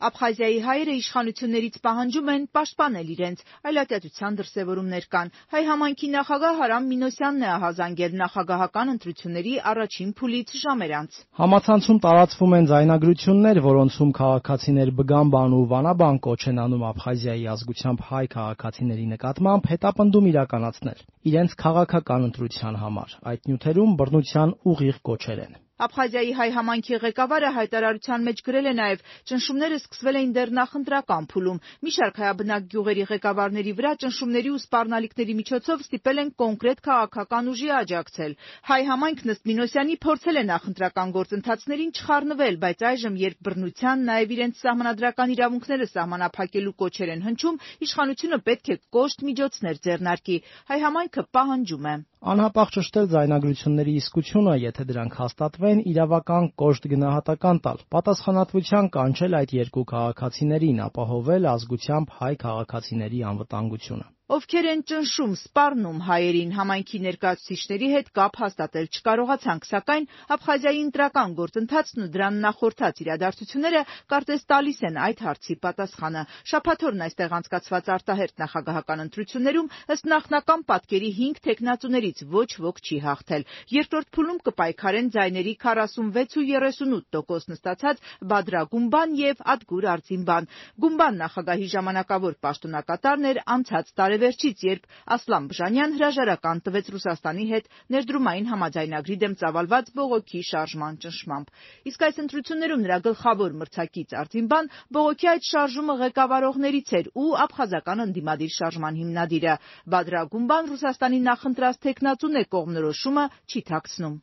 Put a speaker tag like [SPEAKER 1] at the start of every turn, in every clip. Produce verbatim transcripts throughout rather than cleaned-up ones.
[SPEAKER 1] Աբխազիայի հայերը իշխանություններից պահանջում են պաշտպանել իրենց, այլատյացության դրսևորումներ կան։ Հայ համայնքի նախագահ Արամ Մինոսյանն է ահազանգել նախագահական ընտրությունների առաջին փուլից ժամեր անց։
[SPEAKER 2] Համացանցում տարածվում են ձայնագրություններ, որոնցում քաղաքացիներ Բգամբան ու Վանաբան կոչ են անում Աբխազիայի ազգությամբ հայ քաղաքացիների նկատմամբ հետապնդում իրականացնել իրենց քաղաքական ընտրության համար։ Այդ նյութերում բռնության ուղիղ կոչեր են։
[SPEAKER 1] Աբխազիայի հայ համայնքի ղեկավարը հայտարարության մեջ գրել է նաև ճնշումները սկսվել էին դեռ նախընտրական փուլում։ Մի շարք հայաբնակ գյուղերի ղեկավարների վրա ճնշումների ու սպառնալիքների միջոցով ստիպել են կոնկրետ քաղաքական ուժի աջակցել։ Հայ համայնքն ըստ Մինոսյանի փորձել է նախընտրական գործընթացներին չխառնվել, բայց այժմ, երբ բռնության, նաև իրենց սահմանադրական իրավունքները սահմանափակելու կոչեր են հնչում, իշխանությունը պետք է կոշտ միջոցներ ձեռնարկի։ Հայ համայնքը պահանջում է
[SPEAKER 2] անհապաղ ճշտել ձայնագրությունների իսկությունը, եթե դրանք հաստատվեն, իրավական կոշտ գնահատական տալ, պատասխանատվության կանչել այդ երկու քաղաքացիներին, ապահովել ազգությամբ հայ քաղաքացիների անվտանգությունը։
[SPEAKER 1] Ովքեր են ճնշում, սպառնում հայերին, համայնքի ներկայացուցիչների հետ կապ հաստատել չկարողացանք, սակայն Աբխազիայի ընտրական գործընթացն ու դրան նախորդած իրադարձությունները կարծես տալիս են այդ հարցի պատասխանը։ Շաբաթօրն այստեղ անցկացված արտահերթ նախագահական ընտրություններում ըստ նախնական պատկերի հինգ թեկնածուներից ոչ ոք չի հաղթել։ Երկրորդ փուլում կպայքարեն ձայների քառասունվեց ու երեսունութ տոկոս նստացած Բադրա Գումբան եւ Ադգուր Արձինբան։ Գումբան նախագահի ժամանակավոր պաշտոնակատարն էր անցած տարեվերջից, երբ Ասլան Բժանյան հրաժարական տվեց Ռուսաստանի հետ ներդրումային համաձայնագրի դեմ ծավալված բողոքի շարժման ճնշմամբ։ Իսկ այս ընտրություններում նրա գլխավոր մրցակից Արձինբան բողոքի այդ շարժումը ղեկավարողներից էր ու աբխազական ընդդիմադիր շարժման հիմնադիրը։ Բադրա Գումբան Ռուսաստանի նախընտրած թեկնածուն է, կողմնորոշումը չի թաքցնում։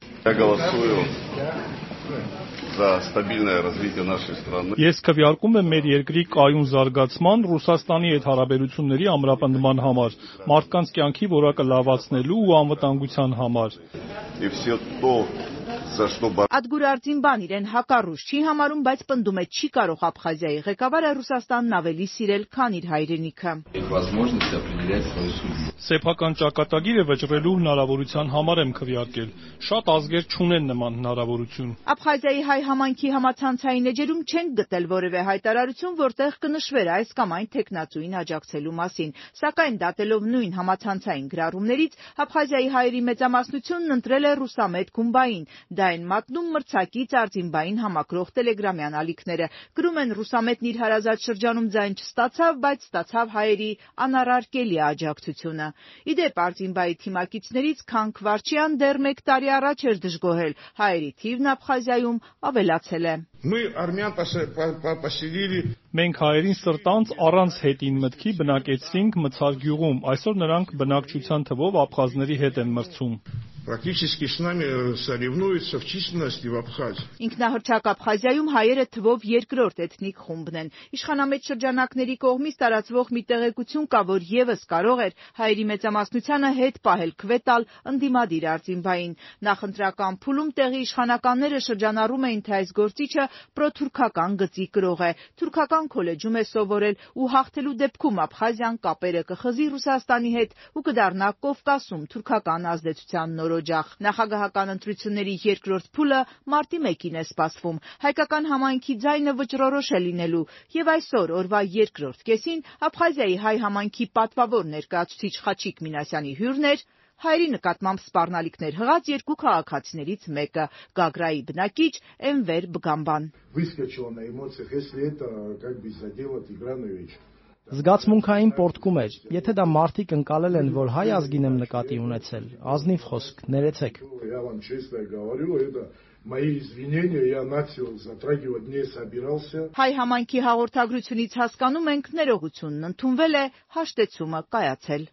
[SPEAKER 3] Ես քվեարկում եմ մեր երկրի կայուն զարգացման, Ռուսաստանի հետ հարաբերությունների ամրապնդման համար, մարդկանց կյանքի որակը լավացնելու ու անվտանգության համար։
[SPEAKER 1] Ադգուր Արձինբան իրեն հակառուս չի համարում, բայց պնդում է չի կարող Աբխազիայի ղեկավարը Ռուսաստանն ավելի սիրել, քան իր հայրենիքը։
[SPEAKER 3] Սեփական ճակատագիրը վճռելու հնարավորության համար եմ քվեարկել։ Շատ ազգեր չունեն նման հնարավորություն։
[SPEAKER 1] Աբխազիայի հայ համայնքի համացանցային էջերում չենք գտել որևէ հայտարարություն, որտեղ կնշվեր այս կամ այն թեկնածուին աջակցելու մասին։ Սակայն դատելով նույն համացանցային գրառումներից, Աբխազիայի հայերի մեծամասնությունն ընտրել է Ռուսամետ Գումբային։ Դա են մատնում մրցակից Արձինբային համակրող տելեգրամյան ալիքները։ Գրում են Ռուսամետն իր հարազատ շրջանում ձայն չստացավ, բայց ստացավ հայերի անառարկելի աջակցությունը։ Իդեպ Արձինբայի թիմակիցներից Քանք Վարչյան դեռ մեկ տարի առաջ էր դժգոհել։ Հայերի թիվն Աբխազիայում ավելացել է։
[SPEAKER 3] Մենք հայերին սրտանց առանց հետին մտքի բնակեցրինք Մցար գյուղում, այսօր նրանք բնակչության թվով աբխազների հետ են մրցում։
[SPEAKER 1] Ինքնահռչակ Աբխազիայում հայերը թվով երկրորդ էթնիկ խումբն են։ Իշխանամետ շրջանակների կողմից տարածվող մի տեղեկություն կա, որ ևս կարող էր հայերի մեծամասնությանը հետ պահել քվե տալ ընդդիմադիր Արձինբային։ Նախընտրական փուլում տեղի իշխանականները շրջանառում էին, թե այս գործիչը պրոթուրքական գծի կրող է, թուրքական քոլեջում է սովորել ու հաղթելու դեպքում Աբխազիան կապերը կխզի Ռուսաստանի հետ ու կդառնա Կովկասում թուրքական ազդեցության նորօջախ։ Նախագահական ընտրությունների երկրորդ փուլը մարտի մեկին է սպասվում։ Հայկական համայնքի ձայնը վճռորոշ է լինելու, եւ այսօր օրվա երկրորդ կեսին Աբխազիայի հայ համայնքի պատվավոր ներկայացուցիչ Խաչիկ Մինասյանի հյուրն էր հայերի նկատմամբ սպառնալիքներ հղած երկու քաղաքացիներից մեկը՝ Գագրայի բնակիչ Էնվեր Բգամբան։
[SPEAKER 2] Զգացմունքային պոռթկում էր։ Եթե դա մարդիկ ընկալել են, որ հայ ազգին եմ նկատի ունեցել, ազնիվ խոսք, ներեցեք։
[SPEAKER 1] Հայ համայնքի հաղորդագրությունից հասկանում ենք, ներողությունն ընդունվել է, հաշտեցումը կայացել։